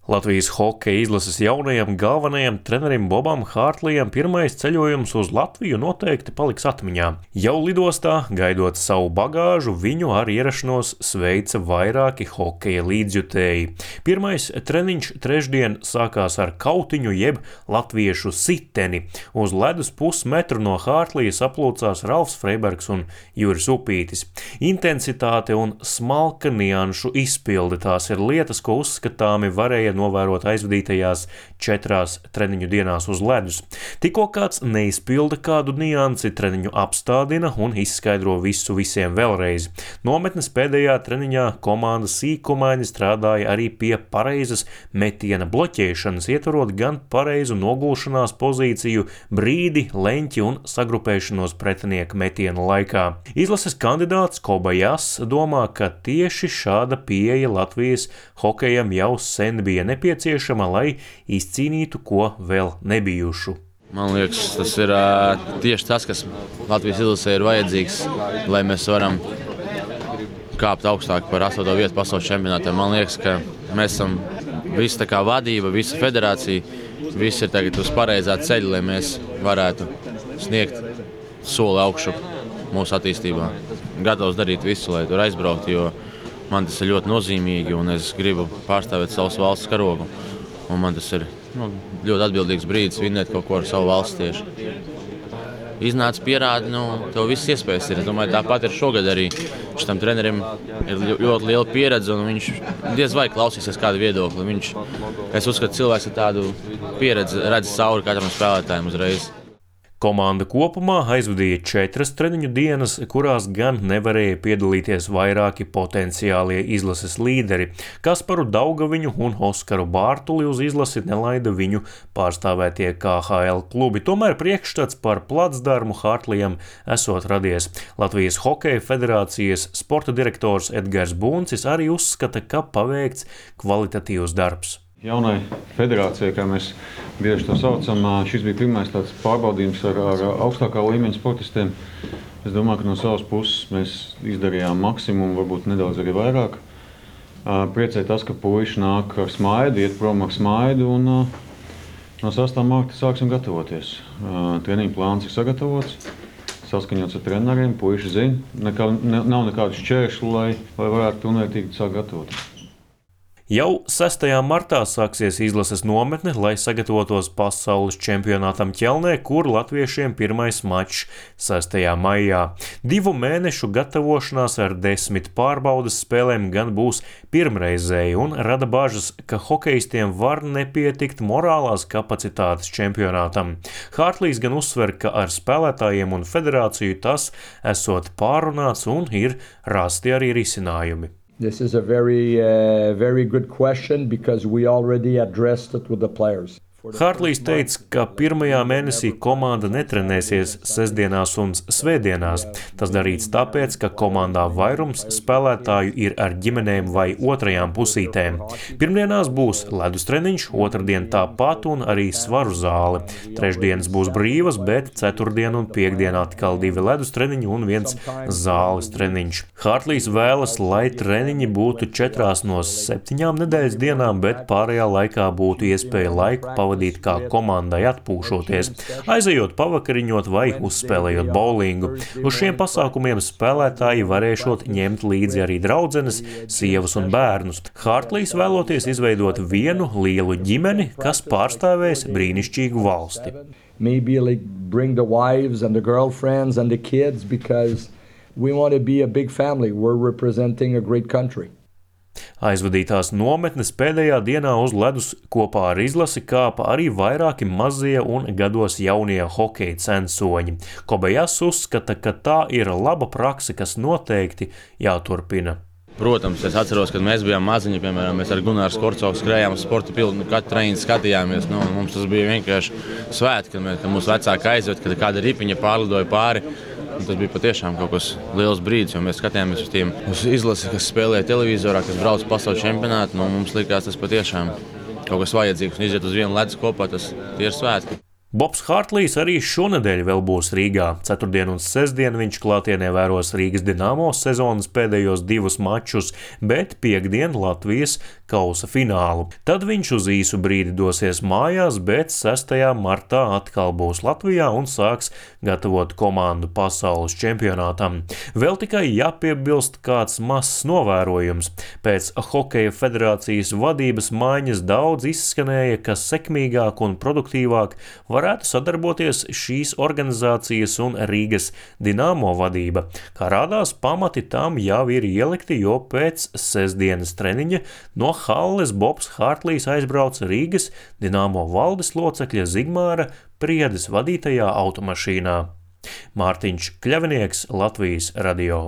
Latvijas hokeja izlases jaunajam galvenajam trenerim Bobam Hārtlijam pirmais ceļojums uz Latviju noteikti paliks atmiņā. Jau lidostā, gaidot savu bagāžu, viņu ar ierašanos sveica vairāki hokeja līdzjutēji. Pirmais treniņš trešdien sākās ar kautiņu jeb latviešu siteni. Uz ledus pusmetru no Hārtlija saplūcās Ralfs Freibergs un Juris Upītis. Intensitāte un smalka nianšu izpilde tās ir lietas, ko uzskatāmi varēja novērot aizvadītajās 4 treniņu dienās uz ledus. Tikko kāds neizpilda kādu niansi, treniņu apstādina un izskaidro visu visiem vēlreiz. Nometnes pēdējā treniņā komanda sīkumaini strādāja arī pie pareizas metiena bloķēšanas, ietvarot gan pareizu nogulšanās pozīciju, brīdi, leņķi un sagrupēšanos pretinieka metiena laikā. Izlases kandidāts Kobajas domā, ka tieši šāda pieeja Latvijas hokejam jau sen bija nepieciešama, lai izcīnītu ko vēl nebijušu. Man liekas, tas ir tieši tas, kas Latvijas izlasē ir vajadzīgs, lai mēs varam kāpt augstāk par 8. vietu pasaules čempionātā. Man liekas, ka mēs esam visa tā kā vadība, visa federācija, visi ir tagad uz pareizā ceļa, lai mēs varētu sniegt soli augšu mūsu attīstībā. Gatavs darīt visu, lai tur aizbrauktu, jo man tas ir ļoti nozīmīgi un es gribu pārstāvēt savas valsts karogu. Un man tas ir ļoti atbildīgs brīdis vinnēt kaut ko ar savu valsts tieši. Iznāca pierādi, tev viss iespējas ir. Es domāju, tāpat ir šogad arī. Šitam trenerim ir ļoti liela pieredze un viņš diez vai klausīsies kādu viedokli. Es uzskatu, cilvēks ar tādu pieredzi redz cauri katram spēlētājiem uzreiz. Komanda kopumā aizvadīja 4 treniņu dienas, kurās gan nevarēja piedalīties vairāki potenciālie izlases līderi. Kasparu Daugaviņu un Oskaru Bārtuli uz izlasi nelaida viņu pārstāvētie KHL klubi. Tomēr priekšstats par placdarmu Hārtlijam esot radies. Latvijas Hokeja federācijas sporta direktors Edgars Buncis arī uzskata, ka paveikts kvalitatīvs darbs. Jaunai federācijai, kā mēs bieži to saucam, šis bija pirmais tāds pārbaudījums ar augstākā līmeņa sportistiem. Es domāju, ka no savas puses mēs izdarījām maksimumu, varbūt nedaudz arī vairāk. Priecē tas, ka puiši nāk ar smaidu, iet prom ar smaidu un no 6. marta sāksim gatavoties. Treniņu plāns ir sagatavots, saskaņots ar treneriem, puiši zina, nav nekādu šķēršļu, lai varētu pilnvērtīgi sākt gatavoties. Jau 6. martā sāksies izlases nometne, lai sagatavotos pasaules čempionātam Ķelnē, kur latviešiem pirmais mačs 6. maijā. 2 mēnešu gatavošanās ar 10 pārbaudes spēlēm gan būs pirmreizēji un rada bažas, ka hokejistiem var nepietikt morālās kapacitātes čempionātam. Hārtlijs gan uzsver, ka ar spēlētājiem un federāciju tas esot pārunāts un ir rasti arī risinājumi. This is a very good question because we already addressed it with the players. Hārtlijs teica, ka pirmajā mēnesī komanda netrenēsies sestdienās un svētdienās. Tas darīts tāpēc, ka komandā vairums spēlētāju ir ar ģimenēm vai otrajām pusītēm. Pirmdienās būs ledus treniņš, otrdien tāpat un arī svaru zāle. Trešdienas būs brīvas, bet ceturtdien un piekdien atkal 2 ledus treniņi un 1 zāles treniņš. Hārtlijs vēlas, lai treniņi būtu 4 no 7 nedēļas dienām, bet pārējā laikā būtu iespēja laiku pavadīt kā komandai atpūšoties, aizejot pavakariņot vai uzspēlējot bowlingu. Uz šiem pasākumiem spēlētāji varēšot ņemt līdzi arī draudzenes, sievas un bērnus. Hārtlijs vēloties izveidot vienu lielu ģimeni, kas pārstāvēs brīnišķīgu valsti. Maybe like bring the wives and the girlfriends and the kids because we want to be a big family. We're representing a great country. Aizvadītās nometnes pēdējā dienā uz ledus kopā ar izlasi kāpa arī vairāki mazie un gados jaunie hokeja censoņi. Kobajas uzskata, ka tā ir laba prakse, kas noteikti jāturpina. Protams, es atceros, kad mēs bijām maziņi, piemēram, mēs ar Gunāru Skorcovu skrējām sporta pildu, katru treniņu skatījāmies. Mums tas bija vienkārši svētki, kad mūsu vecāki aizved, kad kāda ripiņa pārlidoja pāri. Un tas bija patiešām kaut kas liels brīdis, jo mēs skatījāmies uz izlasi, kas spēlē televizorā, kas brauc pasaules čempionātu. Mums likās tas patiešām kaut kas vajadzīgs un iziet uz vienu ledus kopā, tas tie ir svētki. Bobs Hārtlijs arī šonedēļ vēl būs Rīgā. Ceturtdien un sestdien viņš klātienē vēros Rīgas Dinamo sezonas pēdējos 2 mačus, bet piekdien Latvijas kausa finālu. Tad viņš uz īsu brīdi dosies mājās, bet 6. martā atkal būs Latvijā un sāks gatavot komandu pasaules čempionātam. Vēl tikai jāpiebilst kāds mazs novērojums. Pēc Hokeja federācijas vadības maiņas daudz izskanēja, ka sekmīgāk un produktīvāk varētu sadarboties šīs organizācijas un Rīgas Dinamo vadība. Kā rādās, pamati tam jau ir ielikti, jo pēc sestdienas treniņa no halles Bobs Hārtlijs aizbrauca Rīgas Dinamo valdes locekļa Zigmāra Priedes vadītajā automašīnā. Mārtiņš Kļavinieks, Latvijas radio.